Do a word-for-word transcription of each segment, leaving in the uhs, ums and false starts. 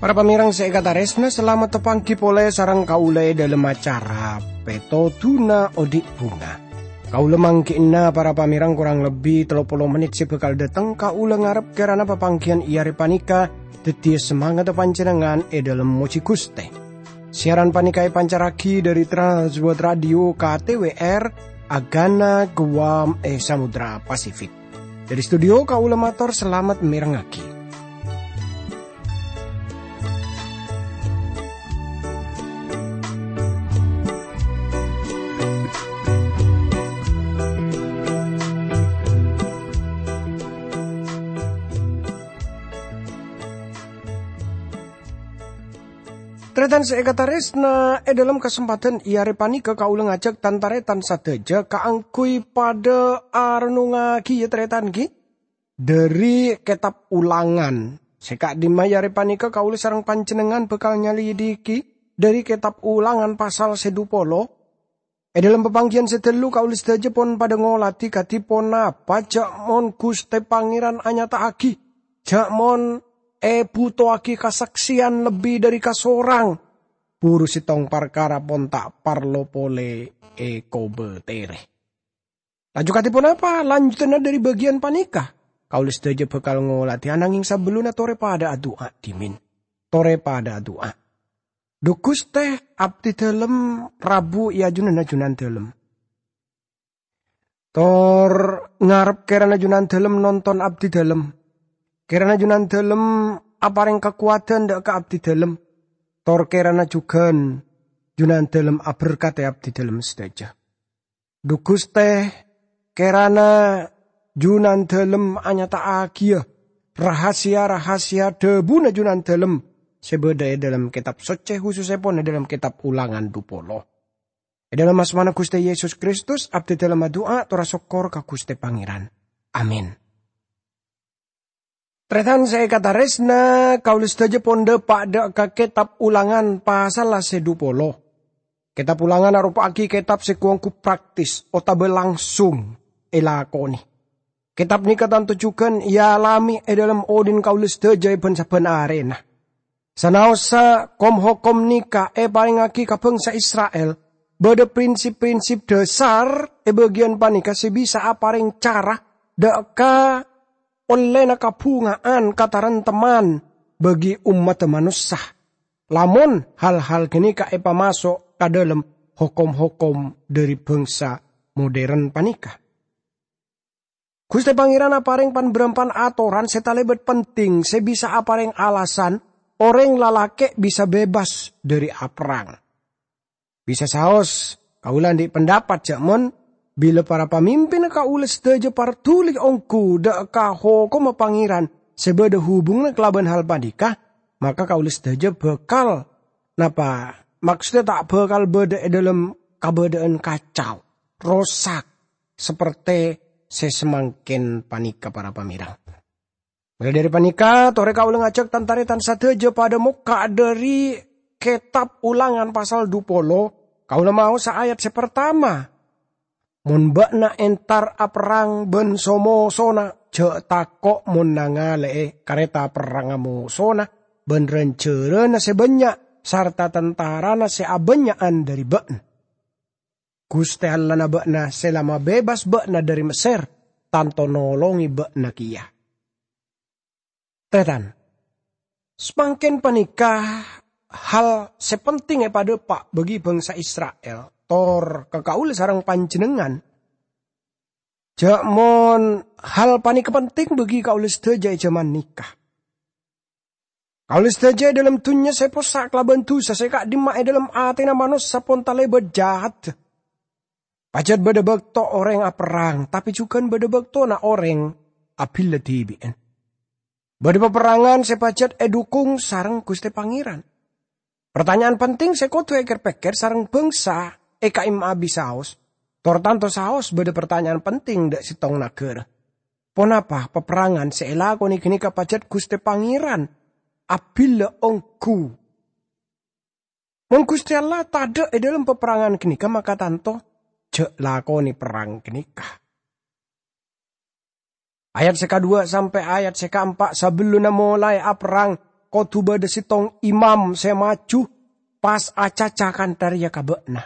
Para pamèrèng sè èkatarèsna, salamet tapangghi polè sareng kaulâ è dhâlem acara Pètodhuna Odi' Bhunga. Kaulâ mangghi'na para pamèrèng korang lebbi tello polo mennit sè bhâkal dhâteng. Kaulâ ngarep kèrana papangghiyân è arè panèka dhâddhiyâ samangatta panjhennengngan è dhâlem mojhi Ghustè. Siaran panèka èpancarraghi dhâri Trans World Radio K T W R, Agana, Guam, è Samudra Pasifik. Dhâri studio kaulâ mator salamet mèrengngaghi. Tarètan sè èkatarèsna, è dhâlem kasempadhân è arè panèka kaulâ ngajhâk tan-tarètan sadhâjâ kaangghuy padhâ arennungngaghi, yâ, tarètan, ghi, dhâri Kètab Ulangan. Sè ka'dimma è arè panèka kaulâ sareng panjhennengngan bhâkal nyalidiki dhâri Kètab Ulangan pasal sè dhu polo. È dhâlem papangghiyân sè ghâllu kaulâ sadhâjâ pon padhâ ngolatè kadhi ponapa jhâ' mon Ghustè Pangèran anyata'aghi, jhâ' mon èbhutowaghi kasaksèyan lebbi dhâri kasorang. Buru sèttong parkara pon ta' parlo polè èkobâtèrè. Laju kadhi ponapa lanjutanna dhâri bâgiyân panèka? Kaulâ sadhâjâ bhâkal ngolatè, ananghing sabellunna torè padhâ adu'a dhimèn. Torè padhâ adu'a. Dhu Ghustè, abdhi dhâlem rabu è ajunanna Junandhâlem. Tor ngarep kèrana Junandhâlem nonton abdhi dhâlem. Kèrana Junandhâlem aparèng kakowadhân dhâ' ka abdhi dhâlem. Tor kèrana jhughân Junandhâlem aberkadhi abdhi dhâlem sadhâjâ. Dhu Ghustè, kèrana Junandhâlem anyata'aghiyâ rahasia-rahasia dhâbuna Junandhâlem sè bâdâ è dhâlem Kètab Soccè, hususèpon è dhâlem Kètab Ulangan dhu polo. È dhâlem asmana Ghustè Yesus Kristus, abdhi dhâlem adu'a tor asokkor ka Ghustè Pangèran. Amin. Tarètan sè èkatarèsna, kaulâ sadhâjâ pon dhâpa' dhâ' ka Kètab Ulangan pasalla sè dhu polo. Kètab Ulangan aropa'aghi kètab sè gu-ongghu praktis otabâ langsung èlakonè. Kètab nèka tanto jhughân èalamè è dhâlem odhi'na kaulâ sadhâjâ è bân-sabbhân arèna. Sanaossa kom-hokom nèka èparèngaghi ka bhângsa Isra'il, bâdâ prinsip-prinsip dhâsar è bâgiyân panèka sè bisa aparèng cara dhâ' ka ollèna kabhunga'an katarèmtemman bagi ommaddhâ manossa. Lamon hal-hal ghânèka èpamaso' ka dhâlem hokom-hokom dhâri bhângsa modern panèka. Ghustè Pangèran aparèng pan-bârâmpan atoran sè talèbât penting sè bisa aparèng alasan orèng lalakè' bisa bebas dhâri aperrang. Bisa saos, kaulâ andi' pendapat jhâ' mon bilâ para pamimpinna kaulâ sadhâjâ parduli ongghu dhâ' ka hokomma Pangèran sè bâdâ hubunganna kalabân hal panèka, maka kaulâ sadhâjâ bhâkal, napa, maksodda ta' bhâkal bâdâ è dhâlem kabâdâ'ân kacau, rosak, sapertè sè samangkèn panèka, para pamèrèng. Molaè dhâri panèka, torè kaulâ ngajhâk tan-tarètan sadhâjâ padhâ mokka' dhâri Kètab Ulangan pasal dhu polo, kaulâ maosa ayat sè partama. "Mon bâ'na entar aperrang bân so-mosona, jhâ' tako' mon nangalè'è karèta perrangnga mosona bân rân-jhârânna sè bânnya' sarta tantarana sè abânnya'an dhâri bâ'na. Ghustè Allana bâ'na sè la mabebas bâ'na dhâri Messèr, tanto nolongè bâ'na kèya." Tarètan, samangkèn panèka hal sè penting èpadhâpa' bagi bhângsa Isra'il, tor ka kaulâ sareng panjhennengngan. Jhâ' mon hal panèka penting bagi kaulâ sadhâjâ è jhâman nèka. Kaulâ sadhâjâ è dhâlem dhunnya sè possa' kalabân dhusa sè ka'dimma è dhâlem atèna manossa pon talèbât jahat. Pajhât bâdâ bâkto orèng aperrang, tapè jhughân bâdâ bâktona orèng abhillâ dhibi'ân. Bâdâ paperrangan sè pajhât èdhukung sareng Ghustè Pangèran. Partanya'an penting sè kodhu èkèr-pèkkèr sareng bhângsa è ka'imma abisaos, tor tanto saos bâdâ partanya'an penting dhâ' sèttong naghârâ. Ponapa paperrangan sè èlakonè ghânèka pajhât Ghustè Pangèran abhillâ ongghu? Mon Guste Allah tadha' e dhalem paperrangan ganeka, maka tanto ja' lakone perrang ganeka. Ayat se kaduwa sampe' ayat se kaempa', sabellunna molae aperrang, kodu badha settong imam se maju pas acaca kantha reya ka ba'na.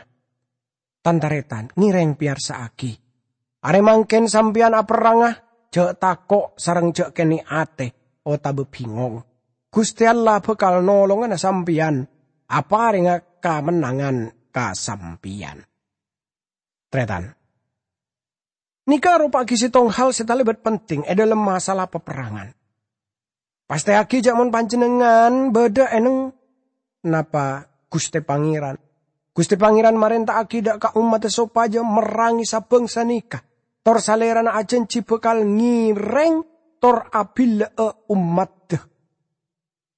Tan-taretan, ngereng peyarsa'agi. Are mangken sampeyan aperranga, ja' tako' sareng ja' kene' ate otaba bingong. Guste Allah bakal nolongana sampeyan, aparenga kamennangan ka sampeyan. Taretan. Neka aropa'agi settong hal se talebat penting e dhalem masalah paperrangan. Pasteyagi ja' mon panjennengngan badha eneng napa Guste Pangeran. Guste Pangeran marenta'agi dha' ka ommadda sopaja merrange sabangsa neka, tor Salerana ajanji bakal ngereng tor abilla'a ommadda.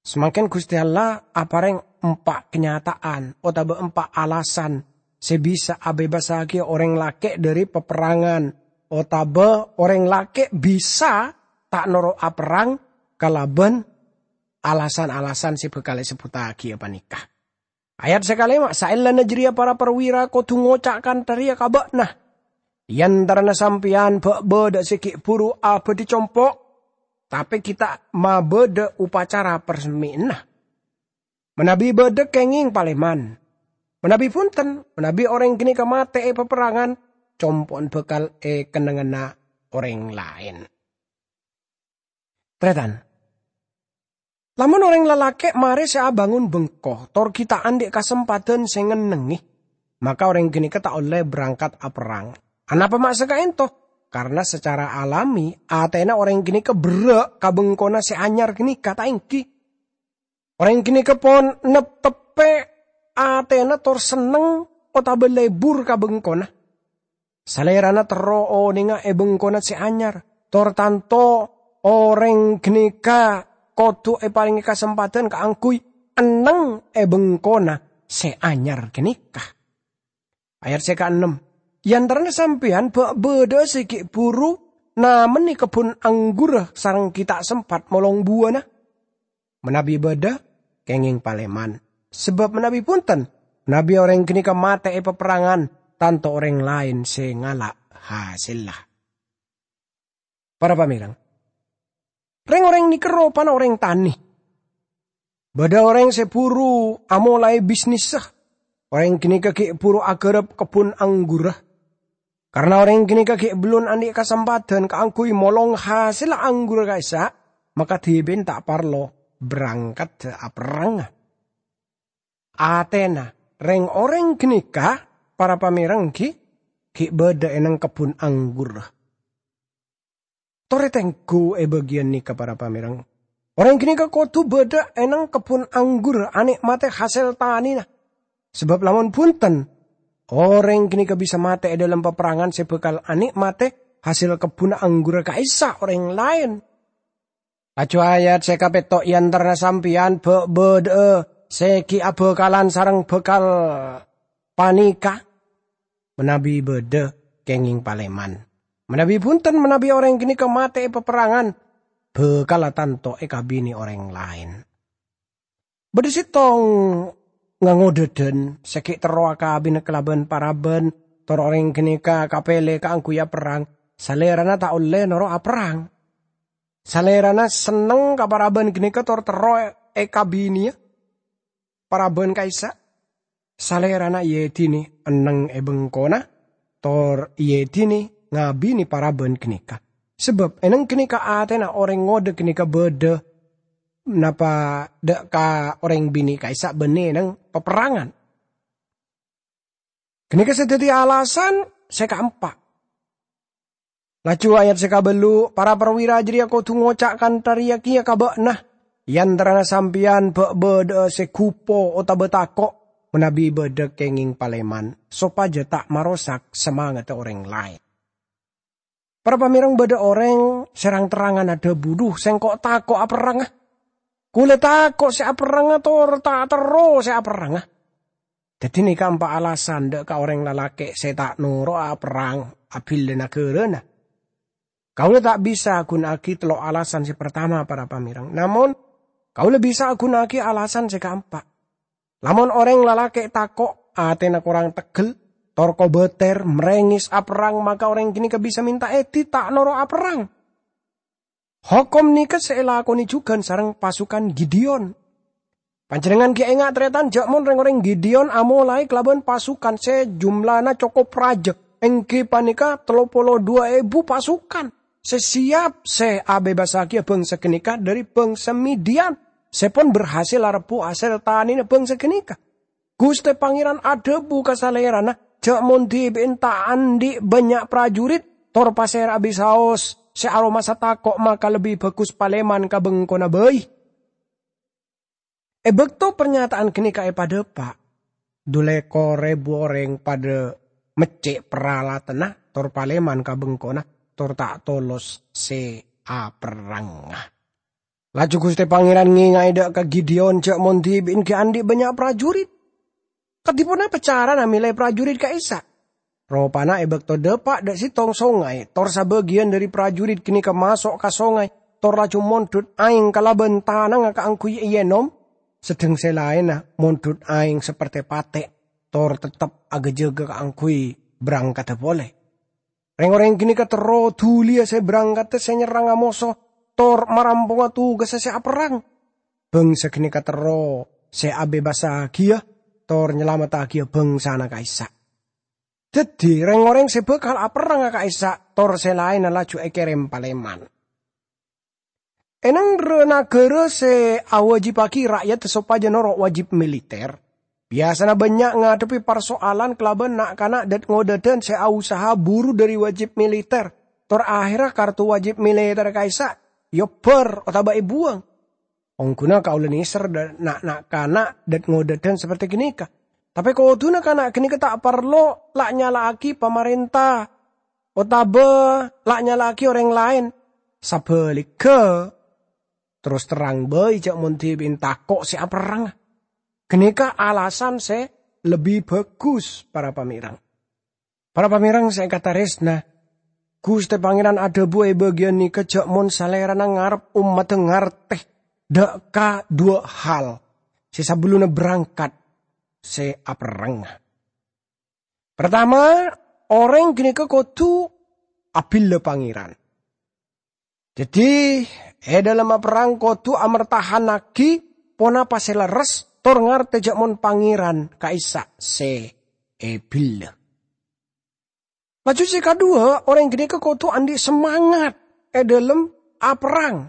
Samangken Guste Allah apareng empa' kanyata'an otaba empa' alasan se bisa abebassagi oreng lake' dhari paperrangan, otaba oreng lake' bisa ta' noro' aperrang kalaban alasan-alasan se bakal esebbuttagi paneka. Ayat se kalema, saellana jareya para perwira kodu ngoca' kantha reya ka ba'na, "E antarana sampeyan ba' badha se gi' buru abadhi compo', tape gi' ta' mabadha upacara parsemmina. Manabi badha kengeng paleman. Manabi bunten, manabi oreng ganeka mate e paperrangan, compo'en bakal e kennengnganna oreng laen." Taretan. Lamon oreng lalake' mare se abangon bengko, tor gi' ta' andhi' kasempadan se ngennengnge, maka oreng ganeka ta' olle berangkat aperrang. Anapa ma' saka'ento? Karena secara alami, atena oreng ganeka berra' ka bengkona se anyar ganeka, ta' enggi? Oreng ganeka pon nepteppe atena tor senneng otaba lebur ka bengkona. Salerana terro onenga e bengkona se anyar, tor tanto oreng ganeka kodu eparenge kasempadan kaangguy enneng e bengkona se anyar ganeka. Ayat se kaennem, "E antarana sampeyan ba' badha se gi' buru namenne kebbun anggurra sareng gi' ta' sempat molong buwana? Manabi badha, kengeng paleman. Sabab manabi bunten, manabi oreng ganeka mate e paperrangan, tanto oreng laen se ngala' hasella." Para pamereng, reng-oreng neka ropana oreng tane. Badha oreng se buru amolae bisnissa. Oreng ganeka gi' buru agarap kebbun anggurra. Karena oreng ganeka gi' bellun andhi' kasempadan kaangguy molong hasella anggurra ka'issa', maka dhibi'en ta' parlo berangkat aperranga. Atena reng-oreng ganeka, para pamereng, gi', gi' badha eneng kebbun anggurra. Tore tenggu e bagiyan neka, para pamereng. Oreng ganeka kodu badha eneng kebbun anggur ane'mate hasel tanena. Sabab lamon bunten, oreng ganeka bisa mate e dhalem paperrangan se bakal ane'mate hasel kebbunna anggurra ka'issa' oreng laen. Laju ayat se kapetto', "E antarana sampeyan ba' badha'a se gi' abakalan sareng bakal paneka? Manabi badha, kengeng paleman. Manabi bunten, manabi oreng ganeka mate e paperrangan, bakalla tanto ekabine oreng laen." Badha settong ngangodhadan se gi' terro akabina kalaban paraban, tor oreng ganeka kapele kaangguy aperrang. Salerana ta' olle noro' aperrang. Salerana senneng ka paraban ganeka tor terro ekabineya paraban ka'issa'. Salerana eedine enneng e bengkona, tor eedine ngabine paraban ganeka. Sabab eneng ganeka atena oreng ngodha ganeka badha napa dha' ka oreng bine ka'issa' banne eneng paperrangan. Ganeka se daddi alasan se kaempa'. Laju ayat se kabellu', "Para perwira jareya kodu ngoca' kantha reya keya ka ba'na, 'E antarana sampeyan ba' badha'a se gupo otaba tako', manabi badha kengeng paleman, sopaja ta' marosak samangadda oreng laen.'" Para pamereng, badha oreng se rang-terrangan adhabu, "Dhu, sengko' tako' aperranga. Kaula tako' se aperranga tor ta' terro se aperranga." Daddi neka empa' alasan dha' ka oreng lalake' se ta' noro'a aperrang abila nagarana. Kaula ta' bisa aguna'agi tello' alasan se partama, para pamereng. Namon, kaula bisa aguna'agi alasan se kaempa'. Lamon orèng lalakè' tako', atèna korang teggel, tor kobâtèr, mrèngès, aperrang, maka orèng ghânèka bisa mènta èdhi ta' noro' aperrang. Hokom nèka sè èlakonè jhughân sareng pasukan Gideon. Panjhennengngan ghi' enga', tarètan, jhâ' mon rèng-orèng Gideon amolaè kalabân pasukan sè jumlana cokop rajâ, èngghi panèka tello polo duwâ èbu pasukan, sè siap sè abebassaghiyâ bhângsa ghânèka dhâri bhângsa Midian, sè pon berhasil arebbhu hasèl tanèna bhângsa ghânèka. Ghustè Pangèran adhâbu ka Salèrana, "Jhâ' mon dhibi'en ta' andi' bânnya' prajurit, tor pasèra bi' saos sè aromasa tako', maka lebbi bhâghus palèman ka bengkona bhâi." È bâkto parnyata'an ghânèka èpadhâpa', dhu lèkor èbu orèng padhâ meccè' paralatanna tor palèman ka bengkona, tor ta' tolos sè aperrangnga. Laju Ghustè Pangèran ngènga'è dhâ' ka Gideon jhâ' mon dhibi'en ghi' andi' bânnya' prajurit. Kadhi ponapa carana mèlè prajurit ka'issa'? Ropana è bâkto dhâpa' dhâ' sèttong songay, tor sabâgiyân dhâri prajurit ghânèka maso' ka songay, tor laju mondhut aèng kalabân tanangnga kaangghuy èènom, sedheng sè laènna mondhut aèng saperte patè', tor teptep aghâjâghâ kaangghuy brangkadhâ polè. Rèng-orèng ghânèka terro dhuliyâ sè brangkadhâ sè nyerranga moso, tor marampongnga tugassa sè aperrang. Bhângsa ghânèka terro sè abebassaghiyâ, tor nyalamettaghiyâ bhângsana ka'issa'. Dhâddhi, rèng-orèng sè bhâkal aperranga ka'issa', tor sè laènna laju èkèrèm palèman. È nangghârâ naghârâ sè awâjibhâghi ra'yadda sopajâ noro' wâjib militer, biyasana bânnya' ngadhebbhi parsoalan kalabân na'-kana' dhât-ngodâdhân sè ausaha buru dhâri wâjib militer, tor aherra kartu wâjib militer ka'issa' èobbhâr otabâ èbuwâng. Ongghuna kaulâ nèser dhâ-, na'-, na'-kana' dhât-ngodâdhân saperte ghânèka. Tapè kodhuna kana' ghânèka ta' parlo la' nyala'aghi pamarènta otabâ la' nyala'aghi orèng laèn. Sabhâligghâ, terros terrang bhâi jhâ' mon dhibi'en tako' sè aperrang. Ghânèka alasan sè lebbi bhâghus, para pamèreng. Para pamèreng sè èkatarèsna, Ghustè Pangèran adhâbu è bâgiyân nèka jhâ' mon Salèrana ngarep ommaddhâ ngartè dhâ' ka duwâ' hal sè sabellunna berangkat sè aperrang. Partama, orèng ghânèka kodhu abhilâ Pangèran. Dhâddhi, è dhâlem aperrang kodhu amertahannaghi ponapa sè lerres, tor ngartè jhâ' mon Pangèran ka'issa' sè èbhilâ. Laju sè kaduwâ, orèng ghânèka kodhu andi' semangat è dhâlem aperrang.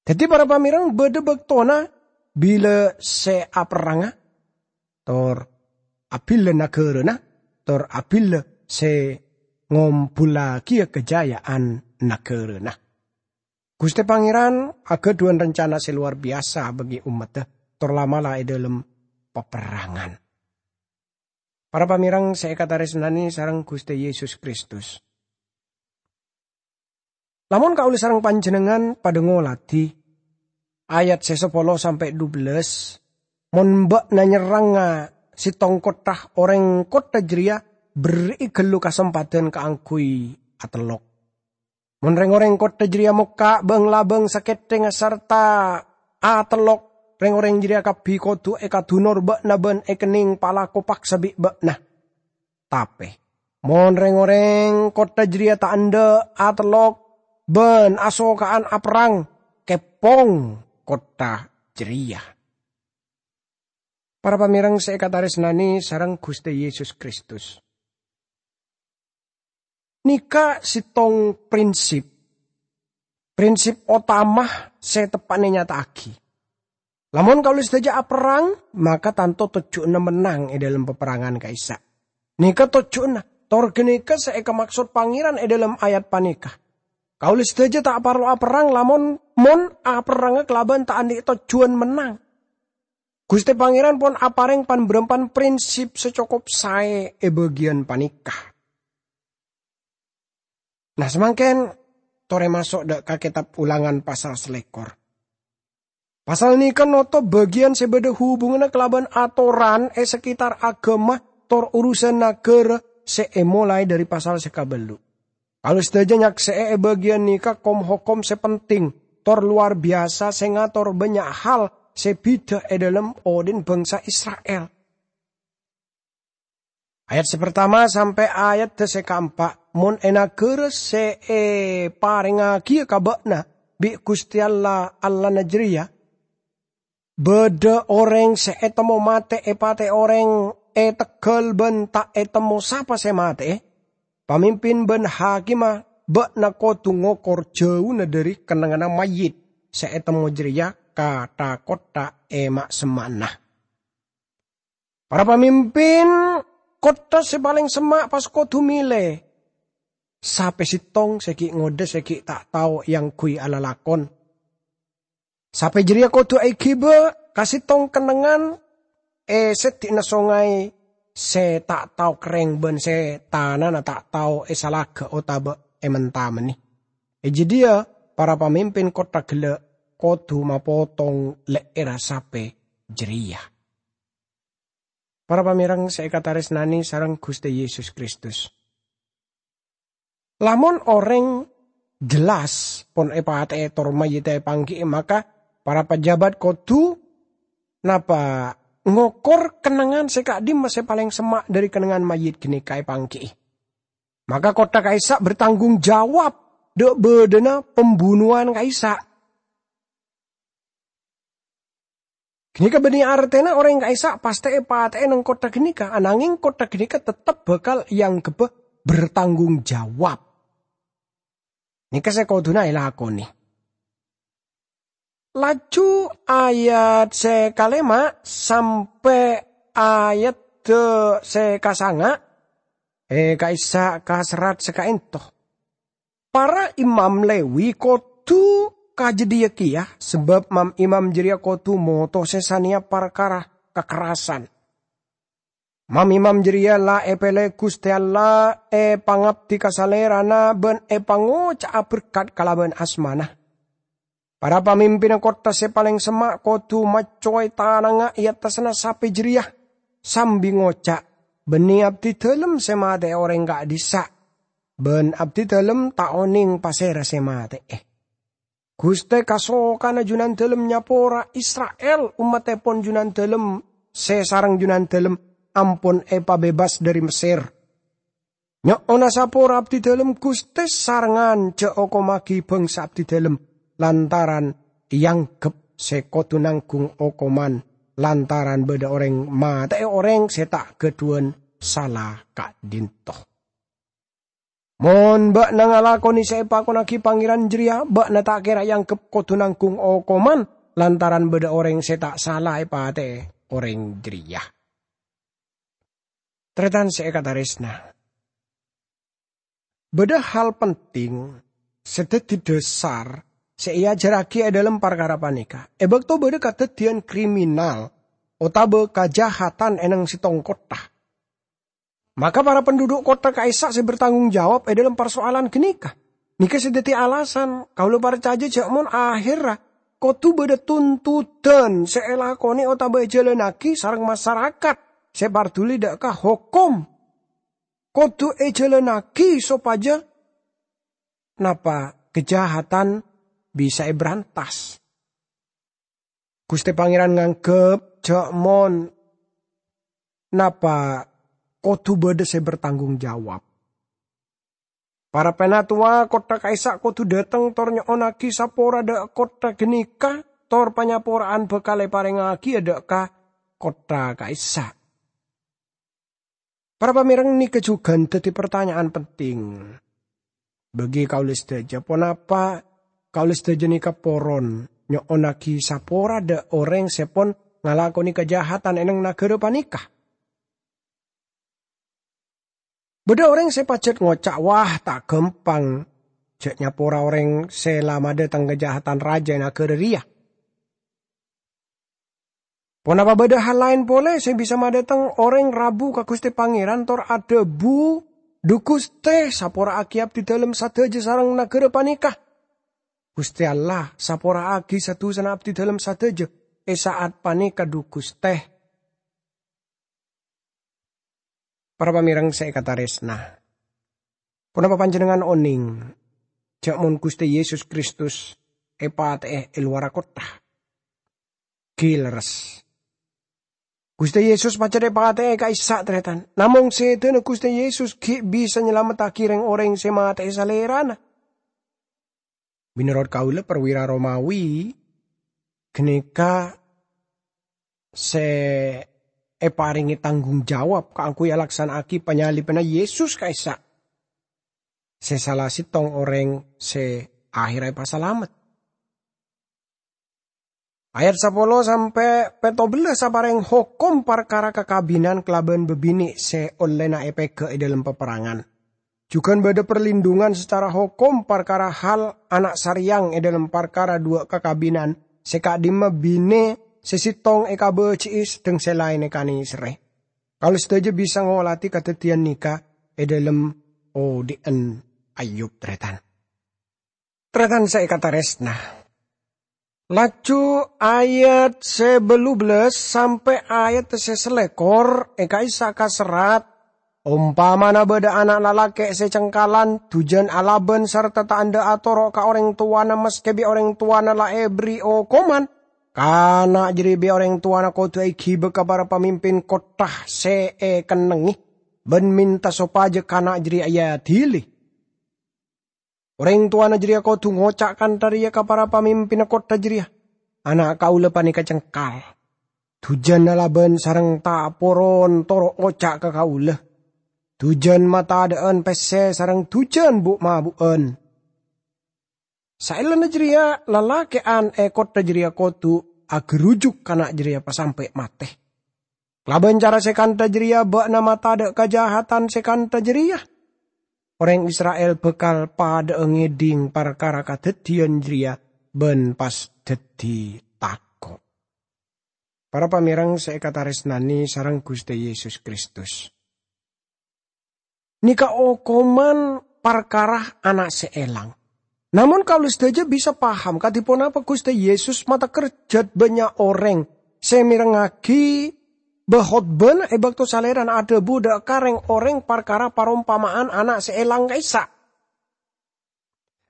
Dhâddhi, para pamèreng, bâdâ bâktona bilâ sè aperranga, tor abhilâ naghârâna, tor abhilâ sè ngombullaghiyâ kajâjâ'ân naghârâna. Ghustè Pangèran aghâdhuwân rencana sè lowar biyasa bagi ommaddhâ, tor la'-mala' è dhâlem paperrangan. Para pamèreng sè èkatarèsnanè sareng Ghustè Yesus Kristus. Lamon kaulâ sareng panjhennengngan padâ ngoladhi ayat sè sapolo sampè' dubellâs, "Mon bâ'na nyerranga sèttong kottha, orèng kottha jârèya berri'i ghâllu kasempadhân kaangghuy atellok. Mon rèng-orèng kottha jârèya mokka' bâng-labâng sakèthèngnga sarta atellok, rèng-orèng jârèya kabbhi kodhu èkadunor bâ'na bân èkennèng palako paksa bi' bâ'na. Tapè mon rèng-orèng kottha jârèya ta' endâ' atellok bân asoka'an aperrang, keppong kottha jârèya." Para pamèreng sè èkatarèsnanè sareng Ghustè Yesus Kristus. Nèka sèttong prinsip, prinsip otama sè teppa'na ènyata'aghi. Lamon kaulâ sadhâjâ aperrang, maka tanto tojjhuwânna mennang è dhâlem paperrangan ka'issa'. Nèka tojjhuwânna, tor ghânèka sè èkamaksod Pangèran è dhâlem ayat panèka. Kaulâ sadhâjâ ta' parlo aperrang lamon, mon aperranga kalabân ta' andi' tojjhuwân mennang. Ghustè Pangèran pon aparèng pan-bârâmpan prinsip sè cokop saè è bâgiyân panèka. Nah, samangkèn torè maso' dhâ' ka Kètab Ulangan pasal salèkor. Pasal nèka noto bâgiyân sè bâdâ hubunganna kalabân atoran è sakitar aghâma tor urusan naghârâ sè èmolaè dhâri pasal sè kabellu'. Kaulâ sadhâjâ nyaksè'è è bâgiyân nèka kom-hokom sè penting tor lowar biyasa sè ngator bânnya' hal sè bhidhâ è dhâlem odi'na bhângsa Isra'il. Ayat sè partama sampè' ayat sè kaempa', mon è naghârâ sè èparèngngaghi ka bâ'na bi' Ghustè Allah, Allahna jârèya, bâdâ orèng sè ètemmo matè èpatè'è orèng, ètegghâl bân ta' ètemmo sapa sè matè'è, pamimpin bân hakimma bâ'na kodhu ngokor jhâuna dhâri kennengnganna mayyit sè ètemmo jârèya ka tha-kottha è ma'-semma'na. Para pamimpin kottha sè palèng semma' pas kodhu mèlè sapè sèttong sè ghi' ngodâ sè ghi' ta' tao èangghuy alalakon. Sapè jârèya kodhu èghibâ ka sèttong kennengngan è sèddi'na songay sè ta' tao kerrèng bân sè tanana ta' tao èsalaghâ otabâ èmen-tamennè. È jâdiyâ para pamimpin kottha ghellâ' kodhu mapotong lè'èrra sapè jârèya. Para pamèreng sè èkatarèsnanè sareng Ghustè Yesus Kristus. Lamon orèng jelas pon èpatè'è tor mayyidda èpangghi'i, maka para pajhâbhât kodhu napa ngokor kennengngan sè ka'dimma sè palèng semma' dhâri kennengngan mayyit ghânèka èpangghi'i. Maka kottha ka'issa' bertanggung jawab dâ' bâdâna pembunuhan ka'issa'. Ghânèka bânnè artèna orèng ka'issa' pastè èpatè'è neng kottha ghânèka, ananghing kottha ghânèka tettep bhâkal èanggheppa bertanggung jawab. Nèka sè kodhuna èlakonè. Laju ayat sè kalèma' sampè' ayat sè kasanga', è ka'issa' kaserrat sè ka'ènto. Para imam Lewi kodhu ka jâdiyâ kèya, sabâb mam-imam jârèya kodhu motosè sanèya parkara kakerrasan. Mam-imam jârèya la èpèlè Ghustè Allah èpangabdi ka Salèrana bân èpangoca'a berkat kalabân asmana. Para pamimpinna kottha sè palèng semma' kodhu maccowè tanangnga è attasna sapè jârèya, sambi ngoca', "Bânnè abdidhâlem sè matè'è orèng ka'dhissa', bân abdidhâlem ta' onèng pasèra sè matè'è." Ghustè kasokana Junandhâlem nyapora Isra'il, ommattèpon Junandhâlem sè sareng Junandhâlem ampon èpabebas dhâri Messèr. Nyo'ona sapora abdidhâlem Ghustè sarengngan jhâ' okommaghi bhângsa abdidhâlem lantaran èangghep sè kodhu nangghung okoman lantaran bâdâ orèng matè'è orèng sè ta' ghâdhuwân sala ka'dhinto. Mon bâ'na ngalakonè sè èpakonnaghi Pangèran jârèya, bâ'na ta' kèra èangghep kodhu nangghung okoman lantaran bâdâ orèng sè ta' sala èpatè'è orèng jârèya. Tarètan sè èkatarèsna, bâdâ hal penting sè dhâddhi dhâsar sè èajhârraghi è dhâlem parkara panèka. È bâkto bâdâ kadhâddhiyân kriminal otabâ kajahatan è neng sèttong kottha, maka para penduduk kottha ka'issa' sè bertanggung jawab è dhâlem parsoalan ghânèka. Nèka sè dhâddhi alasan kaulâ parcajâ jhâ' mon ahèrra kodhu bâdâ tuntutan sè èlakonè otabâ èjhâlânnaghi sareng masarakat sè parduli dâ' ka hokom. Kodhu èjhâlânnaghi sopajâ napa kajahatan bisa èbrantas. Ghustè Pangèran nganggep jhâ' mon napa kodhu bâdâ sè bertanggung jawab. Para pènatowa kottha ka'issa' kodhu dâteng tor nyo'onnaghi sapora dâ' kottha ghânèka, tor panyapora'an bhâkal èparèngngaghi dâ' ka kottha ka'issa'. Para pamèreng, nèka jhughân dhâddhi partanya'an penting bagi kaulâ sadhâjâ. Ponapa kaulâ sadhâjâ nèka poron nyo'onnaghi sapora dâ' orèng sè pon ngalakonè kajahatan è neng naghârâ panèka? Bâdâ orèng sè pajhât ngoca', "Wah, ta' ghâmpang jhâ' nyapora orèng sè la madâteng kajahatan rajâ è naghârâ rèya." Ponapa bâdâ hal laèn polè sè bisa madâteng orèng rabu ka Ghustè Pangèran tor adhâbu, "Dhu Ghustè, sapora'aghi abdidhâlem sadhâjâ sareng naghârâ panèka." "Ghustè Allah, sapora'aghi sa-dusana abdidhâlem sadhâjâ è sa'at panèka, dhu Ghustè." Para pamèreng sè èkatarèsna, ponapa panjhennengngan onèng jhâ' mon Ghustè Yesus Kristus èpatè'è è lowarra kottha? ènggi lerres. Ghustè Yesus pajhât èpatè'è ka'issa', tarètan. Namong sèdhâna Ghustè Yesus ghi' bisa nyalamettaghi rèng-orèng sè matè'è Salèrana. Mènorot kaulâ, perwira Romawi ghânèka sè èparèngè tanggung jawab kaangghuy alaksana'aghi panyalibbhânna Yesus ka'issa', sè sala sèttong orèng sè akhèrra èpasalamet. Ayat sapolo sampè' pèttobellâs aparèng hokom parkara kakabinan kalabân bâbinè' sè ollèna èpèghâ' è dhâlem paperangan. Jhughân bâdâ parlindungan sacara hokom parkara hal ana' sarèyang è dhâlem parkara duwâ' kakabinan sè ka'dimma binè sè sèttong èkabâji'i sedheng sè laèn èkanèserrè. Kaulâ sadhâjâ bisa ngolatè kadhâddhiyân nèka è dhâlem odhi'ân Ayub, tarètan. Tarètan sè èkatarèsna. Laju ayat sè bâllu bellâs sampè' ayat sè salèkor è ka'issa' kaserrat, "Ompamana bâdâ ana' lalakè' sè cengkalan, dhujân alabân sarta ta' endâ' atoro' ka orèng towana maskè bi' orèng towana la èberri' okoman, kana' jârèya bi' orèng towana kodhu èghibâ ka para pamimpin kottha sè èkennengngè, bân mènta sopajâ kana' jârèya èadili. Orèng towana jârèya kodhu ngoca' kantha rèya ka para pamimpinna kottha jârèya, 'Ana' kaulâ panèka cengkal. Dhujân alabân sareng ta' poron toro' ngoca' ka kaulâ. Dhujân matadâ'ân pèssè sareng dhujân bu'-mabu'ân.' Saellana jârèya, lalakè'an è kottha jârèya kodhu aghârujuk kana' jârèya pasampè' matè. Kalabân cara sè kantha jârèya bâ'na matadâ' kajahatan sè kantha jârèya. Orèng Isra'il bhâkal padâ'â ngèdhing parkara kadhâddhiyân jârèya bân pas dhâddhi tako'." Para pamèreng sè èkatarèsnanè sareng Ghustè Yesus Kristus. Nèka okoman parkara ana' sè èlang. Namong kaulâ sadhâjâ bisa paham kadhi ponapa Ghustè Yesus matèkkèr jhât bânnya' orèng sè mèrengngaghi bâ-, khotbâna è bâkto Salèrana adhâbu dâ' ka rèng-orèng parkara parompama'an ana' sè èlang ka'issa'.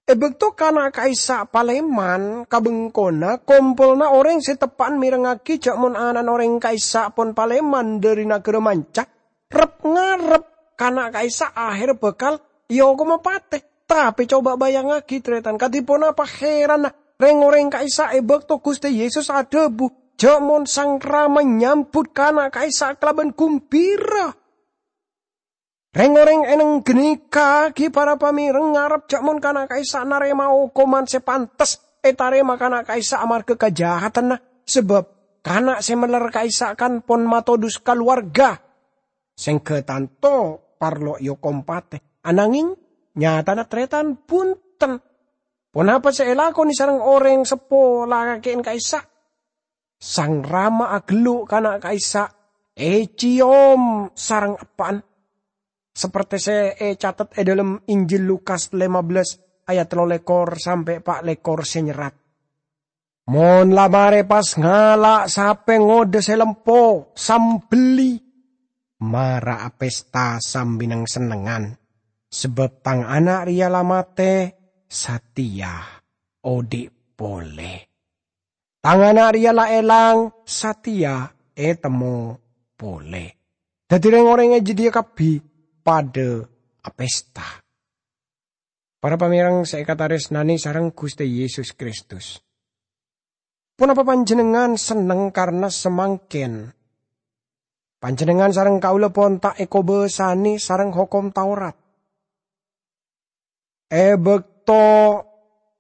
È bâkto kana' ka'issa' palèman ka bengkona, kompolanna orèng sè teppa'an mèrengngaghi jâ' mon ana'na orèng ka'issa' pon palèman dhâri naghârâ manca, rep-ngarep kana' ka'issa' aherra bhâkal èokoma patè. Tapè coba bâjângngaghi, tarètan, kadhi ponapa hèranna rèng-orèng ka'issa' è bâkto Ghustè Yesus adhâbu, "Jâ' mon Sang Rama nyambut kana' ka'issa' kalabân gumbira." Rèng-orèng è neng ghânèka ghi para pamèreng ngarep jâ' mon kana' ka'issa' narèma okoman sè pantes ètarèma kana' ka'issa' amarghâ kajahatanna, sabâb kana' sè mèller ka'issa' kan pon matodus kalowarga. Sèngghâ tanto parlo èokom patè, anangèng nyatana tarètan bhunten. Ponapa sè èlakonè sareng orèng seppo lakè'en ka'issa'? Sang Rama aghâllu' kana' ka'issa' ècèyom sareng eppa'na, sapertè sè ècatet è dhâlem Injil Lukas lèma bellâs ayat tello lèkor sampè' pa' lèkor sè nyerrat, "Mon la marè pas ngala' sapè ngodâ sè lempo sambelli, mara apèsta sambi neng-sennengngan, sabâb tang ana' rèya la matè, satèya odhi' polè. Tang ana' rèya la èlang, satèya ètemmo polè." Dhâddhi rèng-orèng è jâdiyâ kabbhi padâ apèsta. Para pamèreng sè èkatarèsnanè sareng Ghustè Yesus Kristus, ponapa panjhennengngan senneng karna samangkèn panjhennengngan sareng kaulâ pon ta' èkobâsanè sareng Hokom Taurat? È bâkto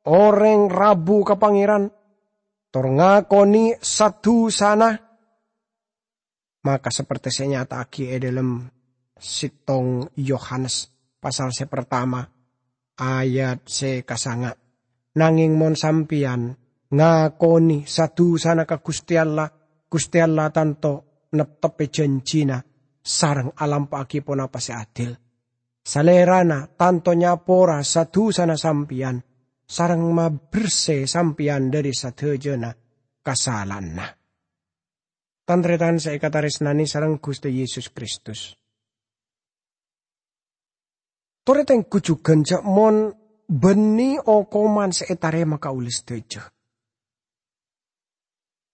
orèng rabu ka Pangèran, tor ngakonè sa-dusana, maka sapertè sè ènyata'aghi è dhâlem sèttong Yohanes pasal sè partama, ayat sè kasanga', "Nangèng mon sampèyan ngakonè sa-dusana ka Ghustè Allah, Ghustè Allah tanto neptebbhi jhânjhina sareng alampa'aghi ponapa sè adil. Salèrana tanto nyapora sa-dusana sampèyan sareng mabersè sampèyan dhâri sadhâjâna kasala'anna." Tan-tarètan sè èkatarèsnanè sareng Ghustè Yesus Kristus, torè tengghu jhughân jâ' mon bânnè okoman sè ètarèma kaulâ sadhâjâ.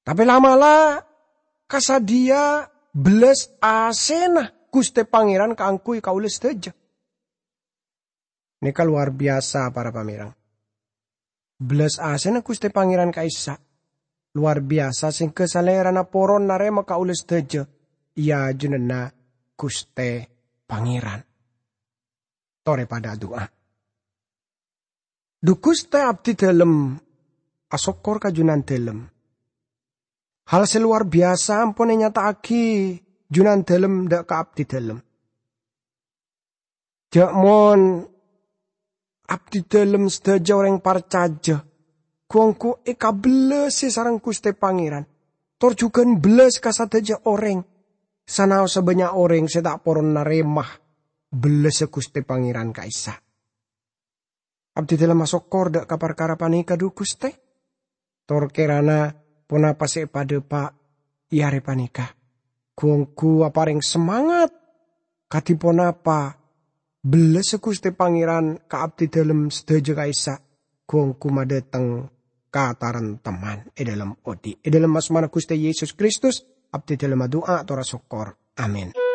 Tapè la'-mala' kasadhiyâ bellas asèna Ghustè Pangèran kaangghuy kaulâ sadhâjâ. Nèka lowar biyasa, para pamèrèng. Bellas asèna Ghustè Pangèran ka'issa' lowar biyasa, sèngghâ Salèrana poron narèma kaulâ sadhâjâ è ajunanna Ghustè Pangèran. Torè padâ adu'a. Dhu Ghustè, abdhidhâlem asokkor ka Junandhâlem. Hal sè lowar biyasa ampon ènyata'aghi Junandhâlem dâ' ka abdhidhâlem. Jhâ' mon abdhidhâlem sadhâjâ orèng parcajâ, ghu-ongghu èkabellasè sareng Ghustè Pangèran, tor jhughân bellas ka sadhâjâ orèng, sanaossa bânnya' orèng sè ta' poron narèma bellassa Ghustè Pangèran ka'issa'. Abdhidhâlem asokkor dâ' ka parkara panèka, dhu Ghustè. Tor kèrana ponapa sè èpadâpa' è arè panèka, ghu-ongghu aparèng samangat kadhi ponapa bellassa Ghustè Pangèran ka abdhidhâlem sadhâjâ ka'issa', ghu-ongghu madâteng kataremteman è dhâlem odi'. È dhâlem asmana Ghustè Yesus Kristus, abdhidhâlem adu'a tor asokkor. Amin.